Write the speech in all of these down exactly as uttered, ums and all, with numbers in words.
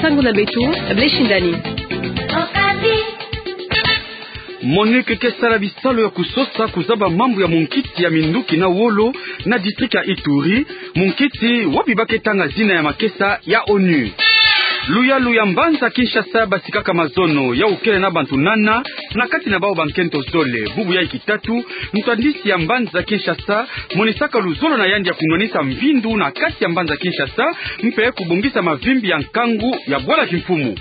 Nsangu na beto, Blaise Shindani. MONUC ke sala bisalu ya kusosa kuzaba mambu ya munkiti ya minduki na wolo na district ya Ituri, munkiti wapi ba ke tanga zina ya makesa ya ONU. Luyalu ya mbanza Kinshasa basikaka mazono, yau kele na bantu nana, na kati na bau bankento zole. Bubu yai kitatu, ntwadisi ya mbanza Kinshasa monisaka luzolo na yandi ya kunwanisa mvindu na kati ya mbanza Kinshasa, mpe kubongisa mavimbi ya nkangu ya bwala kimfumu.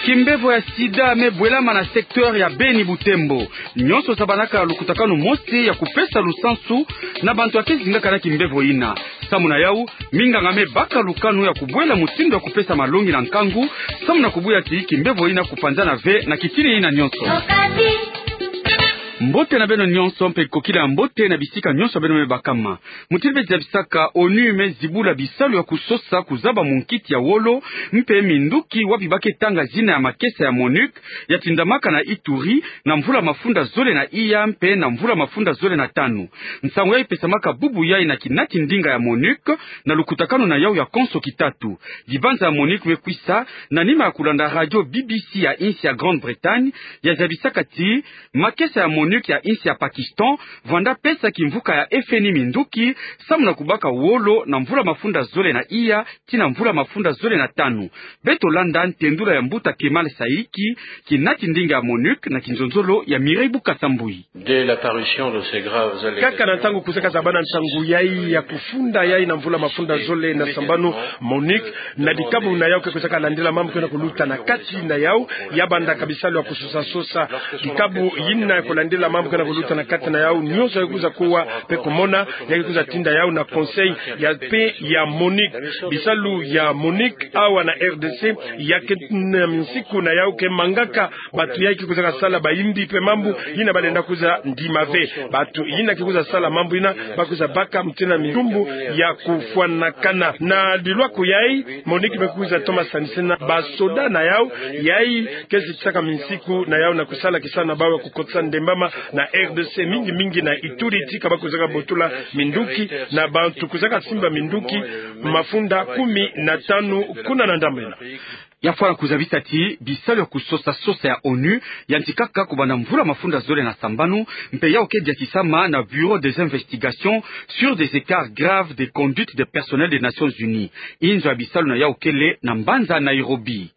Kimbevo ya sida me bwelama na secteur ya Beni Butembo. Nyonso zabanaka lukutakanu mosi ya kupesa lusansu na bantu ya ke zingaka na kimbevo ina. Samu na yau, minganga me baka lukanu ya kubwela mutindu ya kupesa malongi na nkangu, samu na kubuya ti kimbevo ina kupanzana ve na kitini ina nyonso. Mbote na beno nyonso mpe kokila ya mbote na bisika nyonso beno me bakama. Mutindu be zabisaka, ONU me zibula bisalu ya kusosa kuzaba munkiti ya wolo mpe minduki wapi ba ke tanga zina ya makesa ya MONUC ya tindamaka na Ituri na mvula mafunda zole na iya mpe na mvula mafunda zole na tanu. Nsangu yai pesamaka bubu yai na kinati ndinga ya MONUC na lukutakanu na yau ya konso kitatu. Dibanza ya MONUC me kwisa na nima ya kulanda radio B B C ya insi ya Grande-Bretagne, ya zabisaka ti makesa ya MONUC ya insi ya Pakistan vwanda pesa kimvuka ya F N I minduki, samu na kubaka wolo na mvula mafunda zole na iya tii na mvula mafunda zole na tanu. Beto landa ntendula ya mbuta Kemal Saiki, kinati ndinga ya MONUC na kinzonzolo ya Mireille Bukasa Mbuyi. Dès l'apparition de ces graves allégations, kaka na ntangu kwizaka zabana ntangu yai ya kufunda yai na mvula mafunda zole na sambanu, MONUC na dikabu na yau ke kwizaka landila mambu ke na kuluta na kati na yau, ya bandaka bisalu ya kusosa-sosa. Dikabu yina ya kulandila mambu ke na kuluta na kati na yau, nyonso ya ke kwiza kuwa mpe kumona, ya ke kwiza tinda yau na conseil ya mpe ya MONUC. Bisalu ya MONUC awa na R D C ya ke na minsiku na yau ke mangaka bantu yai ke kwizaka sala bayimbi mpe mambu yina ba lenda kwiza ndima ve. Bantu yina ke kwiza sala mambu yina ba kwiza baka mutindu na mitumbu ya kufwanakana. Na lilwaku yai, MONUC me kwiza toma sanisina basoda na yau yai ke zitisaka minsiku na yau na kusala kisala na bau ya kukotisa ndembama na R D C, mingi mingi na Ituri, tika ba kwizaka botula minduki na bantu kwizaka simba minduki mafunda kumi na tanu kuna na ndambu ina. Ya fwana kuzabisa ti bisalu ya kusosa-sosa ya ONU yantikaka kubanda mvula mafunda zole na sambanu, mpe yau ke diatisama na Bureau des investigations sur des écarts graves de conduite des personnels des Nations Unies. Inzo ya bisalu na yau kele na mbanza Nairobi.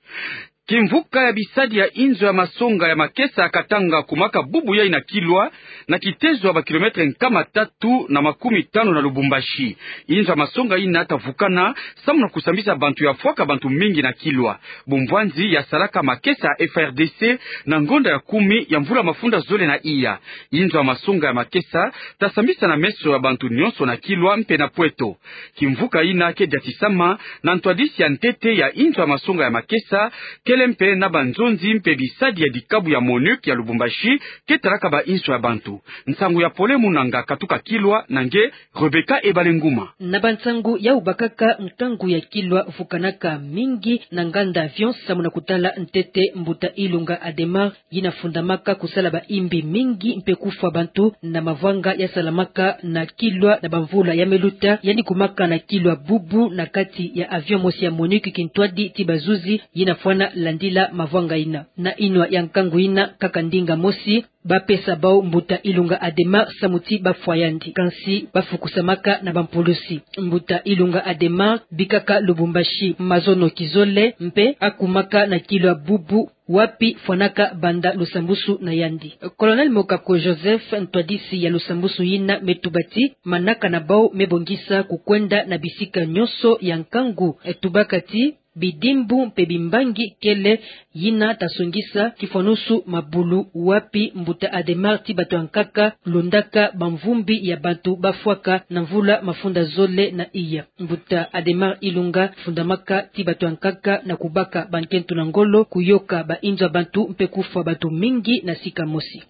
Kimvuka ya bisadi ya inzo ya masonga ya makesa ya Katanga kumaka bubu yai na Kilwa, na kitezo ya ba kilomètre nkama tatu na makumi tanu na Lubumbashi. Inzo ya masonga ina ta vukana samu na kusambisa bantu ya fwaka bantu mingi na Kilwa. Bumvwanzi ya salaka makesa ya F A R D C na ngonda ya kumi ya mvula mafunda zole na iya. Inzo ya masonga ya makesa ta sambisa na meso ya bantu nyonso na Kilwa mpe na Pweto. Kimvuka ina ke diatisama na ntwadisi ya ntete ya inzo ya masonga ya makesa, kele mpe na banzonzi mpe bisadi ya dikabu ya MONUC ya Lubumbashi ke talaka ba inzo ya bantu. Nsangu ya pole munanga katuka Kilwa na nge Rebecca Ebale Nguma. Na bansangu yau bakaka, nkangu ya Kilwa vukanaka mingi na nganda avion samu na kutala ntete mbuta Ilunga Adhémar yina fundamaka kusala bayimbi mingi mpe kufwa bantu na mavwanga ya salamaka na Kilwa na bamvula ya me luta. Yandi kumaka na Kilwa bubu na kati ya avion mosi ya MONUC kintwadi ti bazuzi yina fwana landila mavwanga ina. Na inwa ya nkangu ina, kaka ndinga mosi ba pesa bau mbuta Ilunga Adhémar samu ti ba fwa yandi. Kansi ba fukusamaka na bampulusi. Mbuta Ilunga Adhémar bikaka Lubumbashi mazono kizole mpe akumaka na Kilwa bubu wapi fwanaka banda lusambusu na yandi. Colonel Mokako Joseph, ntwadisi ya lusambusu yina, me tuba ti manaka na bau me bongisa kukwenda na bisika nyonso ya nkangu. E tubaka ti bidimbu mpe bimbangi kele yina ta songisa kifwanusu mabulu wapi mbuta Adhémar ti bato ya nkaka londaka bamvumbi ya bantu ba fwaka na mvula mafunda zole na iya. Mbuta Adhémar Ilunga fundamaka ti bato ya nkaka na kubaka bankento na ngolo, kuyoka bainzo ya bantu mpe kufwa bato mingi na sika mosi.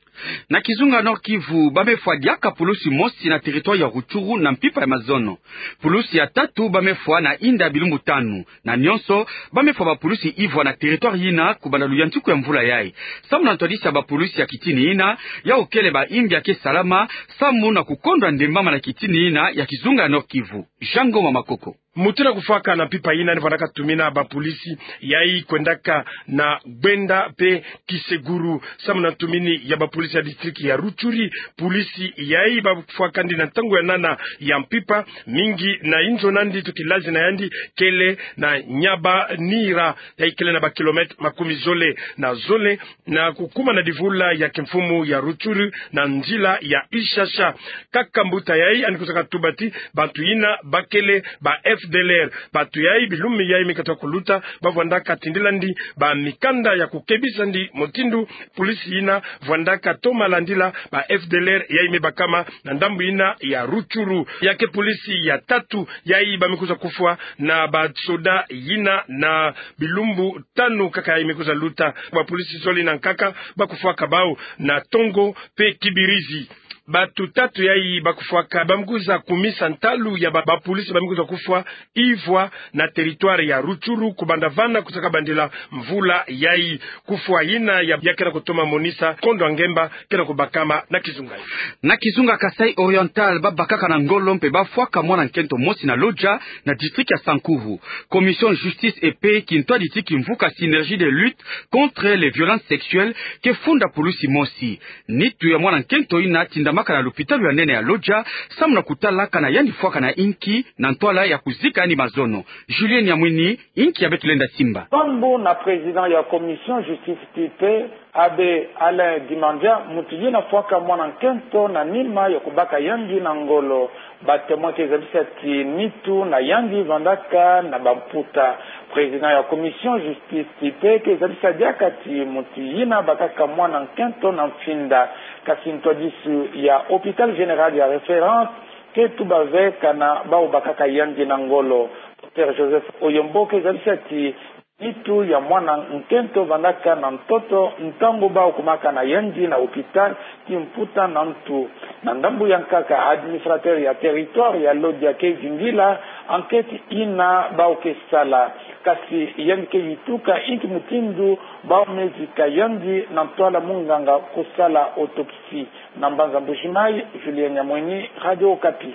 Na kizunga Nord-Kivu, ba me fwa diaka pulusi mosi na territoire ya Rutshuru na mpimpa ya mazono. Pulusi ya tatu ba me fwa na inda ya bilumbu tanu. Na nyonso, ba me fwa bapulusi ivwa na territoire yina kubanda luyantiku ya mvula yai. Samu na ntwadisi ya bapulusi ya kitini yina, yau kele bayimbi ya ke salama samu na kukondwa ndembama na kitini yina ya kizunga ya Nord-Kivu. Jean Ngoma Makoko. Mutu na kufwaka na mpimpa yina ni vwandaka tumina bapolisi yayi kwendaka na Gbenda mpe Kiseguru. Samu na ntumini ya bapolisi ya district ya Rutshuri, polisi yayi bakufwakandi na ntangu ya nana ya mpimpa, mingi na inzo nandi tukilazi na yandi kele na Nyabanira, yayi kele na ba kilomètres makumi zole na zole, na kukuma na divula ya kimfumu ya Rutshuru na nzila ya Ishasha. Kaka mbuta yayi yandi kwiza katuba ti bantu yina bakele ba F D L R. Bantu yayi, bilumbu yayi mi katuka kuluta, bavwandaka tindilandi bamikanda ya kukebisandi mutindu polisi yina vwandaka toma landila ba F D L R yayi mi bakama na ndambu yina ya Rutshuru. Ya ke polisi ya tatu yayi ba mi kwiza kufwa na basoda yina na bilumbu tanu kaka yayi mi kwiza luta. Bapolisi zole na nkaka bakufwaka bau na Tongo mpe Kibirizi. Bantu tatu yayi bakufwaka ba mi kwiza kumisa ntalu ya ba, bapolisi ba mi kwiza kufwa ivwa na territoire ya Rutshuru, kubanda vana kwiza kabandila mvula yayi. Kufwa yina ya, ya kena kutoma monisa kondo ya ngemba kena kubakama na kizunga yayi. Na kizunga Kasaï Oriental, babakaka na ngolo mpe bafwaka mwana nkento mosi na Lodja, na district ya Sankuru. Commission Justice et Paix kintwadisi kimvuka Synergie de lutte contre les violences sexuelles ke funda pulusi mosi. Nitu ya mwana nkento yina tindamaka na lupitalu ya nene ya Lodja, samu na kutala kana yandi fwaka na inki, na ntwala ya kuzika yandi mazono. Julien Nyamwini, inki ya beto lenda simba. Samu na président ya Commission Justice et Paix, Abbé Alain Dimandia, mutu yina fwaka mwana nkento na nima ya kubaka yandi na ngolo. Ba témoins ke zabisa ti nitu na yandi vandaka na bamputa. Président ya Commission Justice et Paix ke zabisa diaka ti mutu yina bakaka mwana nkento na mfinda. Kasi ntwadisu ya Hôpital Général ya Référence ke tuba ve kana bau bakaka yandi na ngolo. Docteur Joseph Oyombo ke zabisa ti nitu ya mwana nkento vandaka na ntoto ntangu bau kumaka na yandi na hôpital ti mputa na ntu. Na ndambu ya nkaka, administrateur ya territoire ya Lodja ke vingila enquête yina bau ke sala. Kasi yandi ke yituka inki mutindu bau me zika yandi na ntwala munganga kusala autopsie. Na mbanza Mbujimayi, Julien Nyamwini, Radio Okapi.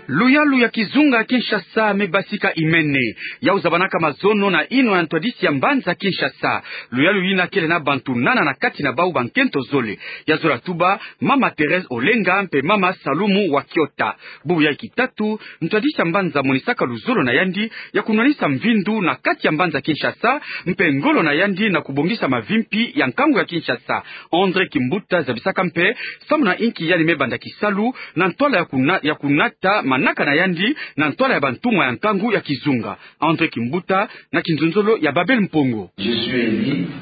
Luyalu ya kizunga Kinshasa me basika imene. Yau zabanaka mazono na yinwa ya ntwadisi ya mbanza Kinshasa. Luyalu yina kele na bantu nana na kati na bau bankento zole. Ya zola tuba Mama Thérèse Olenga mpe Mama Salumu Wakiota. Bubu ya kitatu, ntwadisi ya mbanza monisaka luzolo na yandi ya kunwanisa mvindu na kati ya mbanza Kinshasa, mpe ngolo na yandi na kubongisa mavimpi ya nkangu ya Kinshasa. André Kimbuta zabisaka mpe samu na inki yandi me banda kisalu na ntwala ya kuna-, ya kunata manaka na yandi na ntwala ya bantumwa ya nkangu ya kizunga. André Kimbuta, na kinzonzolo ya Babel Mpongo.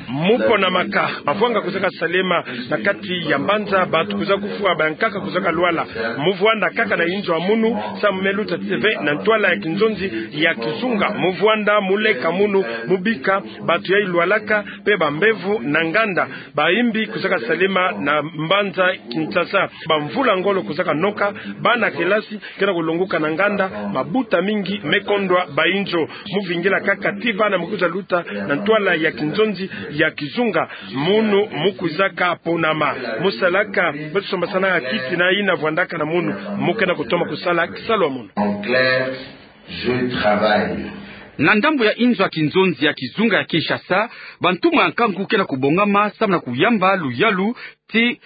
Mu ponamaka, mavwanga kuzaka salema na kati ya mbanza, bantu kuzaka kufwa, bankaka kuzaka lwala. Mu vwanda kaka na inzo ya munu, samu me luta ti ve na ntwala ya kinzonzi ya kizunga. Mu vwanda, mu leka munu, mu bika bantu yayi lwalaka, mpe bambevo na nganda. Bayimbi kuzaka salema na mbanza Kinshasa. Bamvula ngolo kuzaka noka, bana kelasi kena kulongoka na nganda, mabuta mingi me kondwa ba inzo. Mu vingila kaka ti vana mu kwiza luta na ntwala ya kinzonzi ya kizunga. Munu mu kwizaka ponama. Mu salaka, beto sombasanaka kiti na yina vwandaka na munu. Mu kena kutoma kusala kisalu ya munu. En clair, je travaille. Na ndambu ya inzo ya kinzonzi ya kizunga ya Kinshasa, bantumwa ya nkangu kena kubongama samu na kuyamba luyalu ti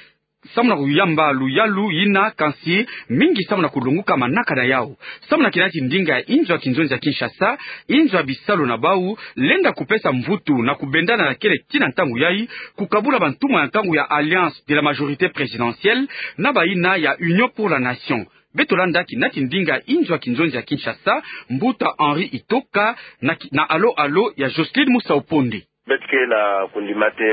samu na kuyamba luyalu yina, kansi mingi samu na kulongoka manaka na yau. Samu na kina ti ndinga ya inzo ya kinzonzi ya Kinshasa, inzo ya bisalu na bau lenda kupesa mvutu na kubendana na kele tii na ntangu yayi, kukabula bantumwa ya nkangu ya Alliance de la Majorité Présidentielle na bayina ya Union pour la Nation. Beto landa kina ti ndinga ya inzo ya kinzonzi ya Kinshasa, mbuta Henri Itoka, na ki-, na Allô Allô ya Jocelyne Musauponde. Beto ke na kondima ti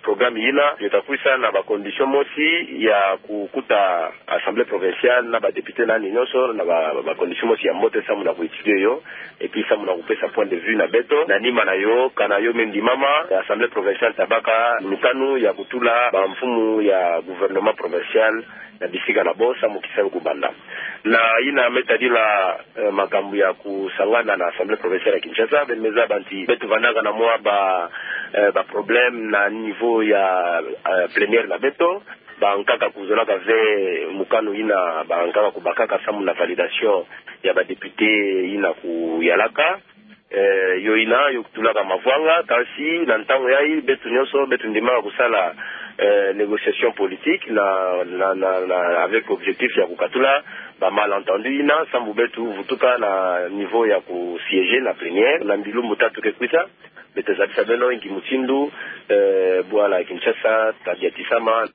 programme yina, yo ta kwisa na ba conditions mosi ya kukuta Assemblée provinciale na ba députés nani nyonso na ba, ba conditions mosi ya mbote samu na ku étudier yo, et puis samu na kupesa point de vue na beto. Na nima na yo, kana yo me ndimama, Assemblée provinciale ta baka mikanu ya kutula bamfumu ya gouvernement provincial na bisika na bo samu kisalu kubanda. Na yina me tadila, eh, makambu ya kusangana na Assemblée provinciale ya Kinshasa, beno me zaba ti beto vandaka na mwa ba, eh, ba problèmes na niveau ya, eh, plénière na beto. Bankaka kuzolaka ve mokano ina, bankaka kubakaka samu na validation ya ba députés ina kuyalaka. Eh, yo ina yo kutulaka mavwanga, kasi na ntangu yayi beto nyonso beto ndimaka kusala, eh, négociation politique na, na, na, na, avec objectif ya kukatula ba malentendus ina, samu beto vutuka na niveau ya kusiéger na plénière na bilumbu tatu ke kwiza. Beto zabisa beno inki mutindu, eh, bwala Kinshasa tadiatisama.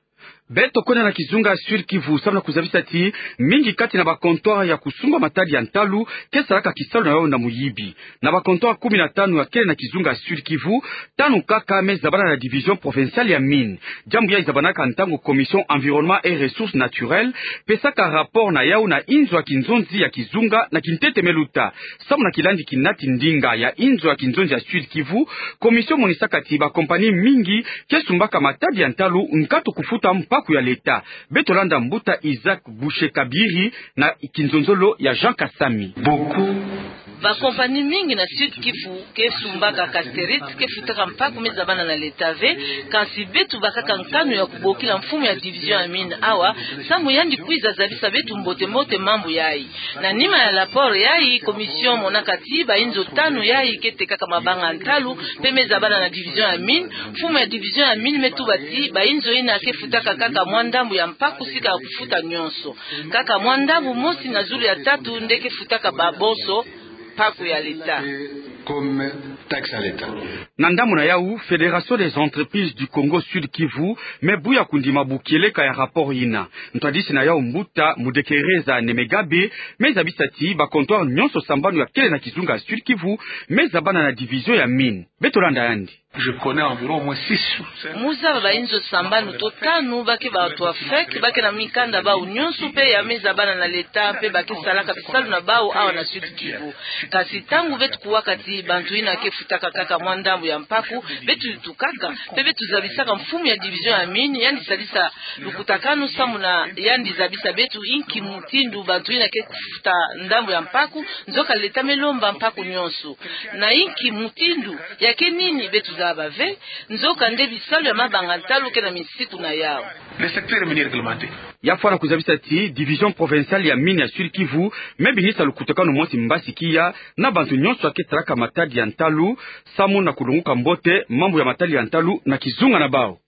Beto kwenda na kizunga Sud-Kivu samu na kuzabisa ti mingi kati na ba comptoirs ya kusumba matadi ya ntalu ke salaka kisalu na yo na muyibi. Na ba comptoirs kumi na tanu ya kele na kizunga Sud-Kivu, tanu kaka me zabana na division provinciale ya mines. Diambu yayi zabanaka ntangu Commission Environnement et Ressources Naturelles pesaka rapport na yau na inzo ya kinzonzi ya kizunga na kintete me luta. Samu na kilandi kinati ndinga ya inzo ya kinzonzi ya Sud-Kivu, commission monisaka ti ba compagnies mingi ke sumbaka matadi ya ntalu nkatu kufuta mpaku ya l'État. Beto landa mbuta Isaac Boucher-Kabiri na kinzonzolo ya Jean Kasami. Ba compagnies mingi na Sud-Kivu ke sumbaka casterite, ke futaka mpaku me zabana na l'État ve, kasi beto bakaka nkanu ya kubokila mfumu ya division ya mines awa, samu yandi kwiza zabisa beto mbote-mbote mambu yayi. Na nima ya rapport yayi, commission monaka ti ba inzo tanu yayi ke tekaka mabanga ya ntalu mpe me zabana na division ya mines. Mfumu ya division ya mines me tuba ti ba inzo ina ke futaka kaka mwa ndambu ya mpaku sika ya kufuta nyonso. Kaka mwa ndambu mosi na zulu ya tatu nde ke futaka ba bonso mpaku ya l'État. Comme taxe à l'État. Na ndambu na yau, Fédération des Entreprises du Congo Sud-Kivu me buya kundima bu kieleka ya rapport ina. Ntwadisi na yau mbuta Mudekereza Nemegabe me zabisa ti ba comptoirs nyonso sambanu ya kele na kizunga Sud-Kivu me zabana na division ya mines. Beto landa yandi. Je connais environ au moins six ou sept. Mu zaba ba inzo sambanu to tanu ba ke ba OTRAFEC, ba ke na mikanda bau nyonso mpe ya me zabana na l'État mpe ba ke salaka bisalu na bau awa na Sud-Kivu. Kasi ntangu beto kuwaka ti bantu ina ke futaka kaka mwa ndambu ya mpaku, beto tukaka mpe beto zabisaka mfumu ya division ya mines, yandi sadisa lukutakanu samu na yandi zabisa beto inki mutindu bantu ina ke kufuta ndambu ya mpaku, nzoka l'État me lomba mpaku nyonso. Na inki mutindu, ya ke nini beto zaba ve, nzoka nde bisalu ya mabanga ntalu ke na misiku na yau. Le secteur minier réglementé. Ya fwana kuzabisa ti division provinciale ya mines ya Sud-Kivu me binisa lukutakanu mosi mbasi kiya na bantu nyonso ya ke salaka matadi ya ntalu, samu na kulonguka mbote mambu ya matadi ya ntalu na kizunga na bau.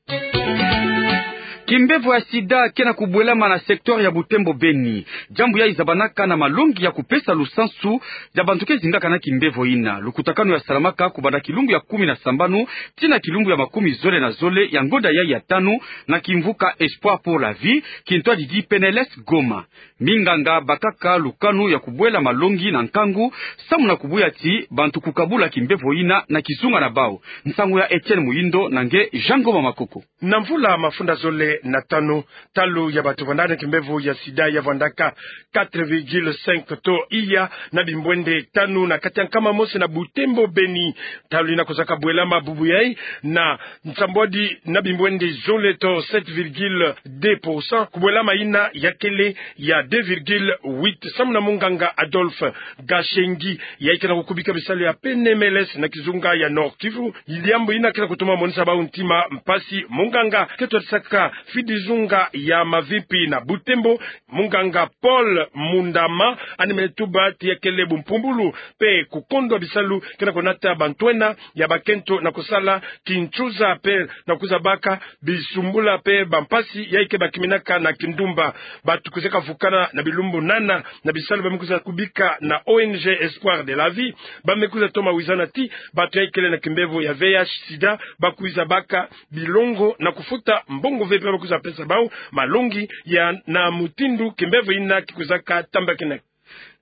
Kimbevo ya sida ke na kubwelama na secteur ya Butembo Beni. Diambu yayi zabanaka na malongi ya kupesa lusansu ya bantu ke zingaka na kimbevo ina. Lukutakanu ya salamaka kubanda kilumbu ya kumi na sambanu tii na kilumbu ya makumi zole na zole ya ngonda yayi ya tanu na kimvuka Espoir pour la Vie, kintwadidi P N L S Goma. Minganga bakaka lukanu ya kubwela malongi na nkangu, samu na kubuya ti bantu kukabula kimbevo ina na kizunga na bau. Nsangu ya Etienne Muyindo na nge Jean Ngoma Makoko. Na mvula mafunda zole na tanu, ntalu ya bantu vandaka na kimbevo ya sida ya vandaka quatre virgule cinq to iya na bimbwende tanu na kati ya nkama mosi na Butembo Beni. Ntalu ina kozaka bwelama bubu yayi na nsambwadi na bimbwende zole to sept virgule deux pour cent, kubwelama ina ya kele ya deux virgule huit, samu na munganga Adolphe Gashengi, yayi ke na kukubika bisalu ya P N M L S na kizunga ya Nord-Kivu. Diambu ina ke na kutuma monisa bau ntima mpasi. Munganga ke twadisaka fidizunga ya mavimpi na Butembo, munganga Paul Mundama, yandi me tuba ti ya kele bumpumbulu mpe kukondwa bisalu ke na kunata bantu ena ya bakento na kusala kinsuza mpe na kwiza baka bisumbula mpe bampasi yayi ke bakiminaka na kindumba. Bantu kwizaka vukana na bilumbu nana na bisalu ba me kwiza kubika na O N G Espoir de la Vie, ba me kwiza toma wizana ti bantu yayi kele na kimbevo ya V I H sida ba kwiza baka bilongo na kufuta mbongo ve mpe ba kwiza pesa bau malongi ya na mutindu kimbevo ina ki kwizaka tambakinaka.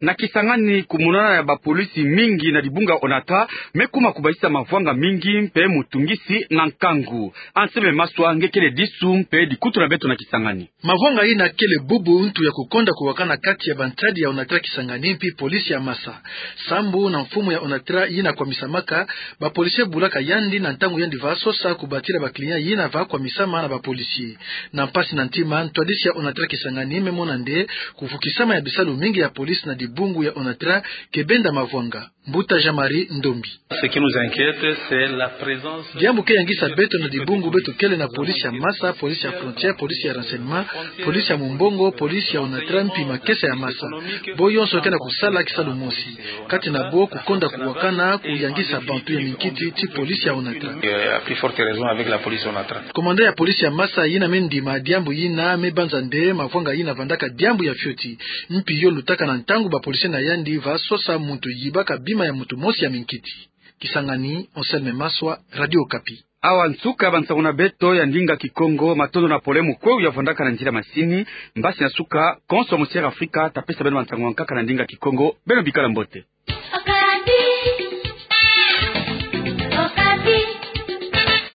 Na Kisangani, kumonana ya bapolisi mingi na dibunga ONATRA me kuma kubasisa mavwanga mingi mpe mutungisi na nkangu. Anselme Maswa nge kele disu mpe dikutu na beto na Kisangani. Mavwanga ina kele bubu ntu ya kukonda kuwakana kati ya bantadi ya ONATRA Kisangani mpi polisi ya Masa. Sambu na mfumu ya ONATRA ina kwamisamaka, bapolisi bulaka yandi na ntangu yandi va sosa kubatila ba client ina va kwamisama na bapolisi. Na mpasi na ntima, ntwadisi ya ONATRA Kisangani me mona nde kuvukisama ya bisalu mingi ya polisi na dibungu ya ONATRA ke benda mavwanga. Mbuta Jean-Marie Ndombi. Ce qui nous inquiète, c'est la présence. Diambu ke yangisa beto na dibungu beto kele na police ya masa, police ya frontière, police ya renseignement, police ya mumbongo, police ya ONATRA mpi makesa ya masa. Bo yonso ke na kusala kisalu mosi. Kati na bo kukonda kuwakana kuyangisa bantu ya minkiti ti police ya ONATRA. Euh, à plus forte raison avec la police ONATRA. Commandant ya police ya masa yina me ndima diambu yina me banza nde mavwanga yina vandaka diambu ya fioti. Mpi yo lutaka na ntangu ba policier na yandi va sosa muntu yibaka bima ya muntu mosi ya minkiti. Kisangani, Anselme Maswa, Radio Okapi. Awa nsuka bansangu na beto ya ndinga Kikongo, matondo na pole mukweu ya vandaka na nzila masini, mbasi na suka, konso ya Musière Afrika, ta pesa beno bansangu ya nkaka na ndinga Kikongo, beno bikala mbote.